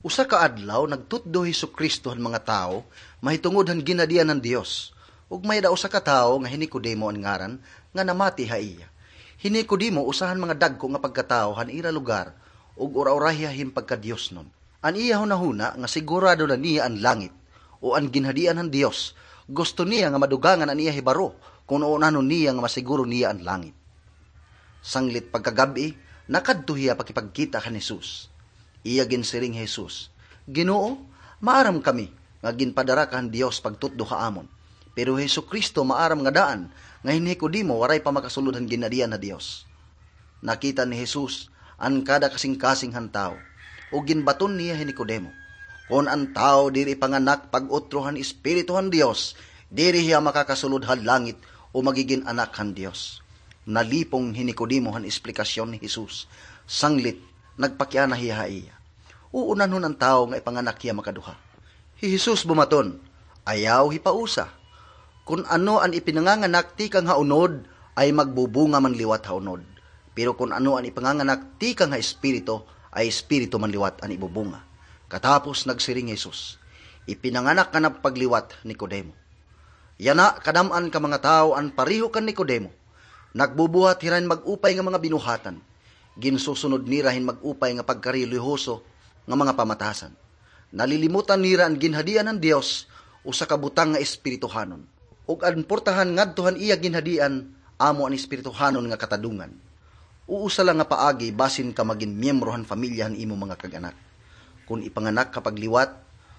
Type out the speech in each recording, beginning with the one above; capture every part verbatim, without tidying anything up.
Usa ka adlaw, nagtutdo hi Jesu-Cristo han mga tawo mahitungod han ginhadian han Dios, ug may-ada usa ka tawo nga hi Nicodemo an ngaran nga namati ha iya. Hi Nicodemo usa han mga dagko nga pagkatawo han ira lugar, ug ura-urahiya hin pagkadiosnon. An iya hunahuna nga sigurado na niya an langit, o an ginhadian han Dios, gusto niya nga madugangan an iya hibaro kon unanon niya nga masiguro niya an langit. Sanglit pagkagab-i, nakadto hiya pakipagkita kan Jesus. Iya ginsiring hi Jesus, "Ginoo, maaram kami nga ginpadara ka han Dios pagtutdo ha amon." Pero hi Jesu-Cristo maaram nga daan nga hi Nicodemo waray pa makasulod han ginhadian ha Dios. Nakita ni Jesus an kada kasingkasing han tawo, ug ginbaton niya hi Nicodemo, "Kon an tawo diri ipanganak pag-utro han Espiritu han Dios, diri hiya makakasulod ha langit o magigin anak han Dios." Nalipong hi Nicodemo han esplikasyon ni Jesus. Sanglit, nagpakiana hiya ha iya, "Uunanhon an tawo nga ipanganak hiya makaduha?" Hi Jesus bumaton, "Ayaw hipausa. Kon ano an ipinanganganak tikang ha unod, ay magbubunga man liwat ha unod. Pero kon ano an ipanganganak tikang ha Espiritu, ay espiritu man liwat an ibubunga." Katapos nagsiring hi Jesus, "Ipinanganak ka na pagliwat, Nicodemo. Yana, kadam-an ka mga tawo an pareho kan Nicodemo. Nagbubuhat hira hin mag-upay nga mga binuhatan. Ginsusunod nira hin mag-upay nga pagkarelihiyoso nga mga pamatasan. Nalilimutan nira an ginhadian han Dios, usa ka butang nga espirituhanon. Ug an portahan ngadto han iya ginhadian, amo an espirituhanon nga katadongan." Usa la nga paagi basin ka magin miyembro han pamilya han imo mga kag-anak. Kon ipanganak ka pagliwat,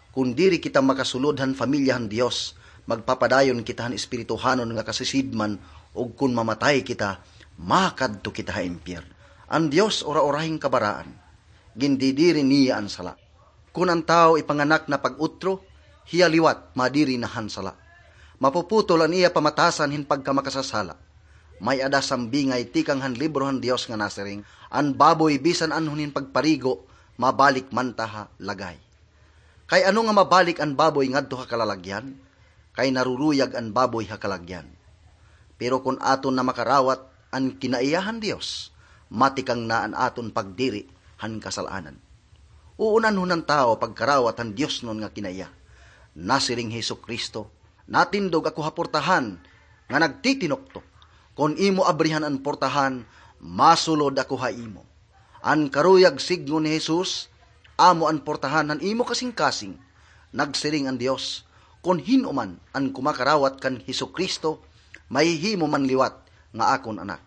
kon diri kita makasulod han pamilya han Dios, magpapadayon kita han espirituhanon nga kasisidman, ug kon mamatay kita, makadto kita ha impyerno. An Dios ura-urahi hin kabaraan. Gindidiri niya an sala. Kon an tawo ipanganak na pag-utro, hiya liwat madiri na han sala. Mapuputol an iya pamatasan hin pagkamakasasala. May-ada sambingay tikang han libro han Dios nga nasiring, "An baboy bisan anhon hin pagparigo, mabalik man ta ha lagay." Kay ano nga mabalik an baboy ngadto ha kalalagyan? Kay naruruyag an baboy ha kalagyan. Pero kon aton na makarawat an kinaiya han Dios, matikang na an aton pagdiri han kasal-anan. Uunanhon han tawo pagkarawat han diosnon nga kinaiya. Nasiring hi Jesu-Cristo, "Natindog ako ha portahan nga nagtitinuktok. Kon imo abrihan an portahan, masulod ako ha imo." An karuyag sidngon ni Jesus, amo an portahan han imo kasingkasing. Nagsiring an Dios, "Kon hin-o man an kumakarawat kan Jesu-Cristo, mahihimo man liwat nga akon anak."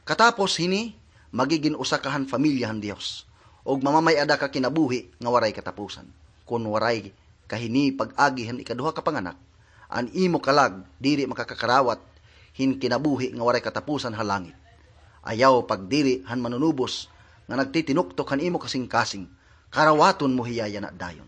Katapos hini, magigin usa ka han pamilya han Dios, ug mamamay-ada ka kinabuhi nga waray katapusan. Kon waray ka hini pag-agi han ikaduha ka panganak, an imo kalag diri makakakarawat hin kinabuhi nga waray katapusan ha langit. Ayaw pagdiri han Manunubos nga nagtitinuktok han imo kasingkasing, karawaton mo hiya yana dayon.